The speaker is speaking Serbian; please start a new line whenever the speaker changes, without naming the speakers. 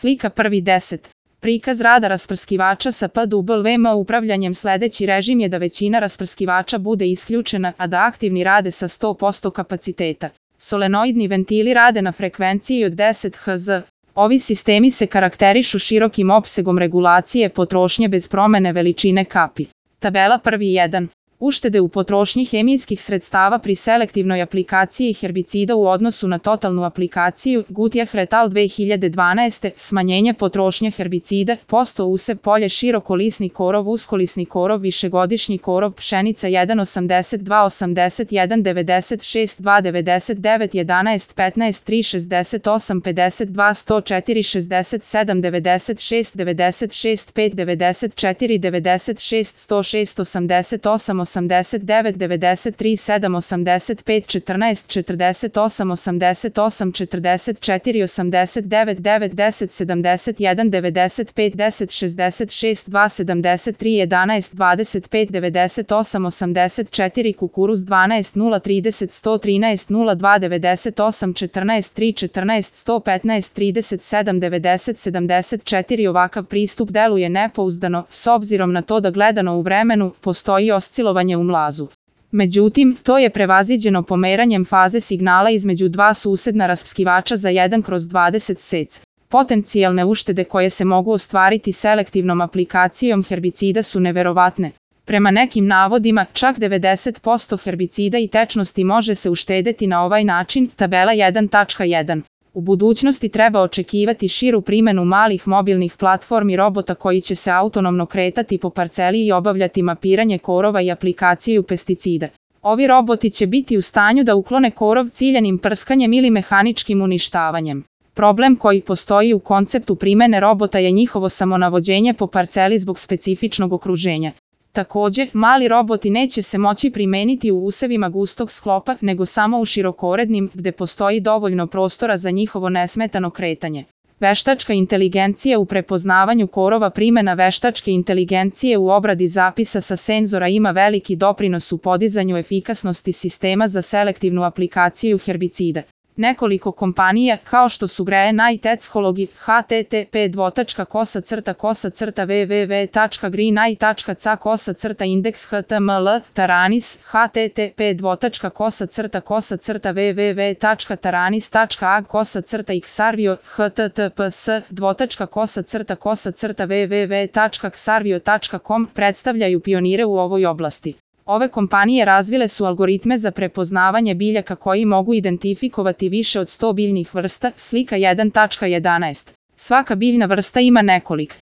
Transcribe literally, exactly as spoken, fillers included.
Slika prvi deset. Prikaz rada rasprskivača sa P W M upravljanjem. Sledeći režim je da većina rasprskivača bude isključena, a da aktivni rade sa sto posto kapaciteta. Solenoidni ventili rade na frekvenciji od deset hertza. Ovi sistemi se karakterišu širokim opsegom regulacije potrošnje bez promene veličine kapi. Tabela prvi jedan. Uštede u potrošnji hemijskih sredstava pri selektivnoj aplikaciji herbicida u odnosu na totalnu aplikaciju. Gutjah et al. dve hiljade dvanaeste. Smanjenje potrošnje herbicida, posto usев polje, širokolisni korov, uskolisni korov, višegodišnji korov, pšenica jedan osamdeset dva osamdeset jedan devedeset šest dva devedeset devet jedanaest petnaest tri šezdeset osam pedeset dva sto četiri šezdeset sedam devedeset šest devedeset šest pet devedeset četiri devedeset šest sto šest osamdeset osam osamdeset devet devedeset tri sedam osamdeset pet četrnaest četrdeset osam osamdeset osam četrdeset četiri osamdeset devet devet deset sedamdeset jedan devedeset pet deset šezdeset šest dva sedamdeset tri jedanaest dvadeset pet devedeset osam osamdeset četiri kukuruz dvanaest nula trideset sto trinaest nula dva devedeset osam četrnaest tri četrnaest sto petnaest trideset sedam devedeset sedamdeset četiri. Ovakav pristup deluje nepouzdano, s obzirom na to da gledano u vremenu postoji oscilovanje u mlazu. Međutim, to je prevaziđeno pomeranjem faze signala između dva susedna rasprskivača za jedan kroz dvadeset sec. Potencijalne uštede koje se mogu ostvariti selektivnom aplikacijom herbicida su neverovatne. Prema nekim navodima, čak devedeset posto herbicida i tečnosti može se uštedeti na ovaj način. Tabela jedan tačka jedan. U budućnosti treba očekivati širu primenu malih mobilnih platformi robota koji će se autonomno kretati po parceli i obavljati mapiranje korova i aplikaciju pesticida. Ovi roboti će biti u stanju da uklone korov ciljanim prskanjem ili mehaničkim uništavanjem. Problem koji postoji u konceptu primene robota je njihovo samonavođenje po parceli zbog specifičnog okruženja. Takođe, mali roboti neće se moći primeniti u usevima gustog sklopa, nego samo u širokorednim, gde postoji dovoljno prostora za njihovo nesmetano kretanje. Veštačka inteligencija u prepoznavanju korova. Primena veštačke inteligencije u obradi zapisa sa senzora ima veliki doprinos u podizanju efikasnosti sistema za selektivnu aplikaciju herbicida. Nekoliko kompanija, kao što su Greeneye Technology, H T T P dvotačka kosa crta kosa crta w w w tačka greeneye tačka c a kosa crta indeks H T M L, Taranis, H T T P dvotačka kosa crta kosa crta w w w tačka taranis tačka a g kosa crta Xarvio, H T T P S dvotačka kosa crta kosa crta w w w tačka xarvio tačka com predstavljaju pionire u ovoj oblasti. Ove kompanije razvile su algoritme za prepoznavanje biljaka koji mogu identifikovati više od sto biljnih vrsta. Slika jedan tačka jedanaest. Svaka biljna vrsta ima nekoliko